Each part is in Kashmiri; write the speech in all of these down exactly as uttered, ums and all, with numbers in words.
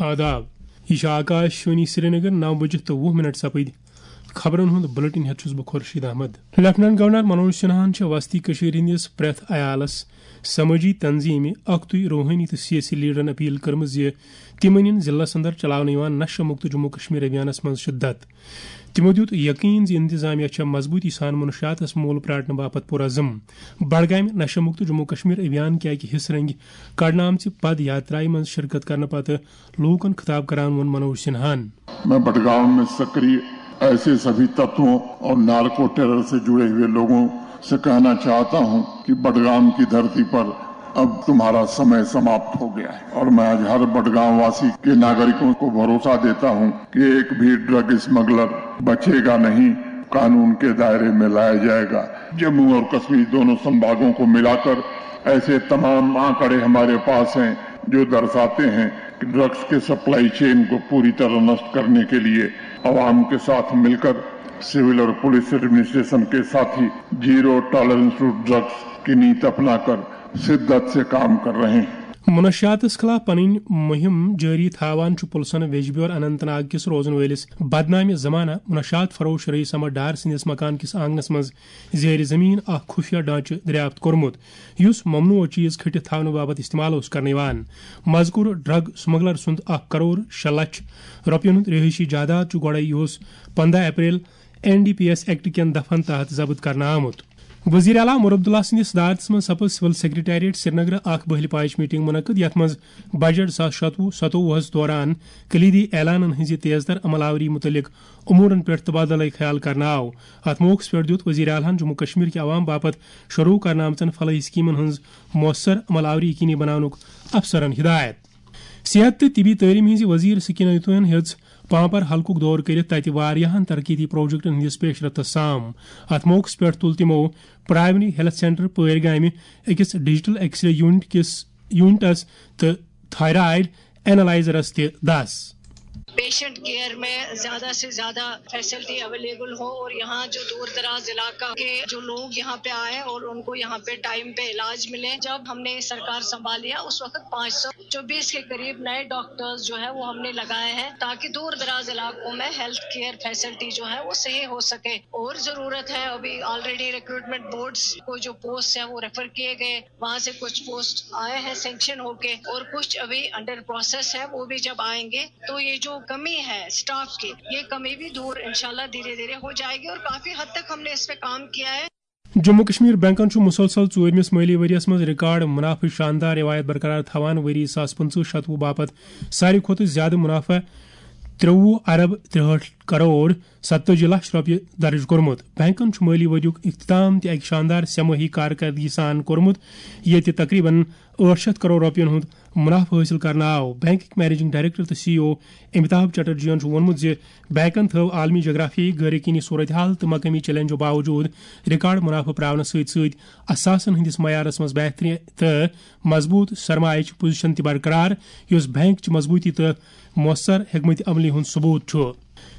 آداب، یہِ چھِ آکاش وانی سرینگر، نو بجہِ تہٕ وُہ منٹ سپٕدۍ۔ خبرن ہُنٛد بلیٹن ہٮ۪تھ چھُس بہٕ خورشید احمد۔ لیفٹیننٹ گورنر منوج سنہاہن چھِ وسطی کٔشیٖر ہٕنٛدِس پرٛٮ۪تھ عیالس، سمٲجی تنظیٖمہِ، اکھتُے روحٲنی تہٕ سیٲسی لیڈرن اپیل کٔرمٕژ زِ تِم أنِن ضلعس اندر چلاونہٕ یِوان نشہٕ مُکت جموں کشمیر ابھیانس منٛز شدت۔ تِمو دیُت یقین زِ انتظامیہ چھےٚ مضبوٗطی سان منشیاتس مول پرٛاٹنہٕ باپتھ پُرعزم۔ بڈگامہِ نشہٕ مُکت جموں کشمیر ابھیان کہِ اکہِ حصہٕ رنگہِ کڑنہٕ آمژِ پد یاترایہِ منٛز شرکت کرنہٕ پتہٕ لوٗکن خطاب کران ووٚن منوج سنہاہن۔ میں بڈگام میں سکریہ ایسے سبھی تتووں اور نارکو ٹیرر سے جڑے ہوئے لوگوں سے کہنا چاہتا ہوں کہ بڈگام کی دھرتی پر اب تمہارا سمے سماپت ہو گیا ہے اور میں آج ہر بڈگام واسی کے ناگرکوں کو بھروسہ دیتا ہوں کہ ایک بھی ڈرگ اسمگلر بچے گا نہیں، قانون کے دائرے میں لایا جائے گا۔ جموں اور کشمیر دونوں سنبھاگوں کو ملا کر ایسے تمام آنکڑے ہمارے پاس ہیں جو درشاتے ہیں کہ ڈرگز کے سپلائی چین کو پوری طرح نشٹ کرنے کے لیے عوام کے ساتھ مل کر سول اور پولیس ایڈمنسٹریشن کے ساتھ ہی زیرو ٹالرنس ٹو ڈرگز کی نیت اپنا کر شدت سے کام کر رہے ہیں۔ منشیاتس خلاف پنٕنۍ مُہِم جٲری تھاوان چھُ پُلسن ویجبیور اننت ناگ کِس روزن وٲلِس بدنامہِ زمانہ منشیات فروش رئیس احمد ڈار سٕنٛدِس مکان کِس آنگنس منٛز زیر زمین اکھ خفیہ ڈھانچہٕ دریافت کوٚرمُت، یُس ممنوع چیز کھٔٹِتھ تھاونہٕ باپتھ استعمال اوس کرنہٕ یِوان۔ مذکور ڈرگ سمگلر سُنٛد اکھ کرور شےٚ لچھ رۄپین ہُنٛد رہٲیشی جائیداد چھُ گۄڈے یُہُس پندہ April N D P S act کٮ۪ن دفعن تحت ضبط کرنہٕ آمُت۔ وزیر اعلیٰ عمر عبداللہ سٕنٛدِس صدارتس منٛز سپٕز سول سیکرٹریٹ سرینگرٕ اکھ بہلہِ پاچہِ میٹنگ منعقد، یتھ منٛز بجٹ زٕ ساس شتوُہ ستووُہس دوران کلیدی اعلانن ہٕنٛزِ تیز تر عمل آوری متعلق امورن پٮ۪ٹھ تبادلہ خیال کرنہٕ آو۔ اتھ موقعس پٮ۪ٹھ دیُت وزیر اعلیٰ ہن جموں کشمیر کہِ عوام باپتھ شروع کرنہٕ آمژن فلاحی سکیمن ہٕنٛز مؤثر عمل آوری یقینی بناونُک افسرن ہدایت۔ صحت تہٕ طبی تعلیٖم ہٕنٛزِ وزیر سکینہ اتوین ہیٚژ پامپر حلقُک دورٕ کٔرِتھ تتہِ واریاہن ترقیتی پروجیکٹن ہٕنٛدِس پیش رفتس سام۔ اتھ موقعس پٮ۪ٹھ تُل تِمو پرائمری ہیلتھ سینٹر پٲرۍ گامہِ أکِس ڈیجیٹل ایکس رے یونٹ کِس یونٹس تہٕ تھائرائیڈ اینالائزرس تہِ دس۔ پیشنٹ کیئر میں زیادہ سے زیادہ فیسلٹی اویلیبل ہو اور یہاں جو دور دراز علاقہ کے جو لوگ یہاں پہ آئے اور ان کو یہاں پہ ٹائم پہ علاج ملے۔ جب ہم نے سرکار سنبھالی ہے، اس وقت پانچ سو چوبیس کے قریب نئے ڈاکٹرز جو ہے وہ ہم نے لگائے ہیں، تاکہ دور دراز علاقوں میں ہیلتھ کیئر فیسلٹی جو ہے وہ صحیح ہو سکے۔ اور ضرورت ہے، ابھی آلریڈی ریکروٹمنٹ بورڈز کو جو پوسٹ ہے وہ ریفر کیے گئے، وہاں سے کچھ پوسٹ آئے ہیں سینکشن ہو کے اور کچھ ابھی انڈر پروسیس ہے، وہ بھی جب آئیں گے تو یہ جو کمی ہے اسٹاف کی، یہ کمی بھی دور انشاءاللہ دھیرے دھیرے ہو جائے گی اور کافی حد تک ہم نے اس پہ کام کیا ہے۔ جموں کشمیر بینکن چھُ مسلسل ژوٗرمِس مٲلی ؤرۍ یَس منٛز ریکارڈ منافعٕچ شاندار رِوایت برقرار تھاوان۔ ؤری زٕ ساس پٕنٛژٕہ شتوُہ باپتھ ساروی کھۄتہٕ زِیٛادٕ منافع ترٛۆوُہ ارب ترٛہٲٹھ کرور ستٲجی لچھ رۄپیہِ درٕج کوٚرمُت۔ بینکن چھُ مٲلی ؤریُک اختتام تہِ اَکہِ شاندار سہ مٲہی کارکردگی سان کوٚرمُت، ییٚتہِ تقریباً ٲٹھ شتھ کرور رۄپیَن ہُنٛد منافعہٕ حٲصِل کرنہٕ آو۔ بینکٕکۍ مینیجنگ ڈائریکٹر تہٕ سی ای او امیتابھ چٹرجیَن چھُ ووٚنمُت زِ بینکن تھٲو عالمی جغرافیائی غٲر یقینی صورتحال تہٕ مقٲمی چیلنجو باوجود ریکارڈ منافعہٕ پراونس سۭتۍ سۭتۍ اثاثن ہٕنٛدِس معیارس منٛز بہتری تہٕ مضبوط سرمایچ پوزیشن تہِ برقرار، یُس بینک چہِ مضبوطی تہٕ مؤثر حکمت عملی ہُنٛد ثبوت چھُ۔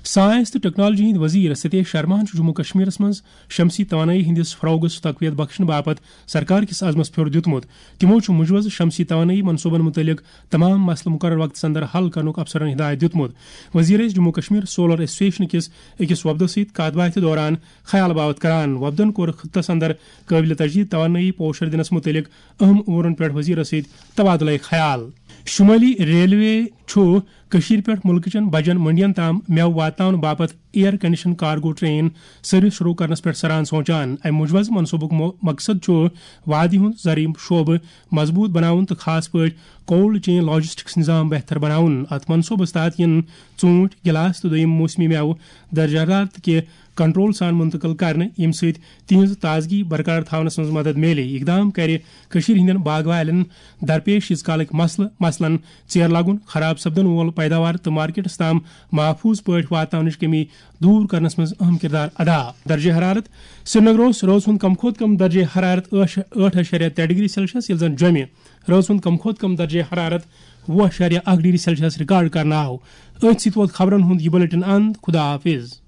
سائنس تہٕ ٹیکنالوجی ہٕنٛدۍ وزیر ستیش شرماہن چھُ جموں کشمیرس منٛز شمسی توانٲئی ہٕنٛدِس فروغس تقویت بخشنہٕ باپتھ سرکار کِس عزمس پھیُر دیُتمُت۔ تِمو چھُ مُجوزٕ شمسی توانٲئی منصوبن مُتعلق تمام مسلہٕ مقرر وقتس اندر حل کرنُک افسرن ہدایت دیُتمُت۔ وزیر ٲسۍ جموں کشمیر سولر ایسوسیشن کِس أکِس وفدس سۭتۍ کتھ باتھِ دوران خیال باوت کران۔ وفدن کوٚر خطس اندر قٲبلِ تجدید توانٲئی پوشر دِنس مُتعلق اہم امورن پٮ۪ٹھ وزیرس سۭتۍ تبادلہ خیال۔ شمٲلی ریلوے چھُ کٔشیٖرِ پٮ۪ٹھ مُلکہٕ چٮ۪ن بجن منڈین تام مٮ۪وٕ واتناونہٕ باپتھ air condition cargo train service شروع کرنس پٮ۪ٹھ سران سونچان۔ امہِ مُجوزٕ منصوبُک مو-، مقصد چھُ وادی ہُنٛد زرعی شعبہٕ مضبوط بناوُن تہٕ خاص پٲٹھۍ کولڈ چین لاجسٹکس نظام بہتر بناوُن۔ اتھ منصوبس تحت یِن ژوٗنٹھۍ، گلاس تہٕ دوٚیِم موسمی مٮ۪وٕ درجہ حرارت کہِ کنٹرول سان منتقل کرنہٕ، ییٚمہِ سۭتۍ تِہنٛز تازگی برقرار تھاونس منٛز مدد میلہِ۔ یہِ اقدام کرِ کٔشیٖرِ ہٕنٛدٮ۪ن باغہٕ والٮ۪ن درپیش ییٖژ کالٕکۍ مسلہٕ، مثلاً ژیر لگُن، خراب سپدن وول پیداوار تہٕ مارکیٹس تام محفوظ پٲٹھۍ واتناونٕچ کمی دور کرنس منٛز اہم کردار ادا۔ درجہ حرارت۔ سرینگر اوس رٲژ ہُنٛد کم کھۄتہٕ کم درجہ حرارت ٲٹھ، ٲٹھ اعشاریہ ترٛےٚ ڈگری سیلسیس، ییٚلہِ زن جوٚمہِ رٲژ ہُنٛد کم کھۄتہٕ کم درجہ حرارت وُہ اعشاریہ اکھ ڈگری سیلسیس ریکارڈ کرنہٕ آو۔ أتھۍ سۭتۍ ووت خبرن ہُنٛد یہِ بلیٹن اند۔ خدا حافظ۔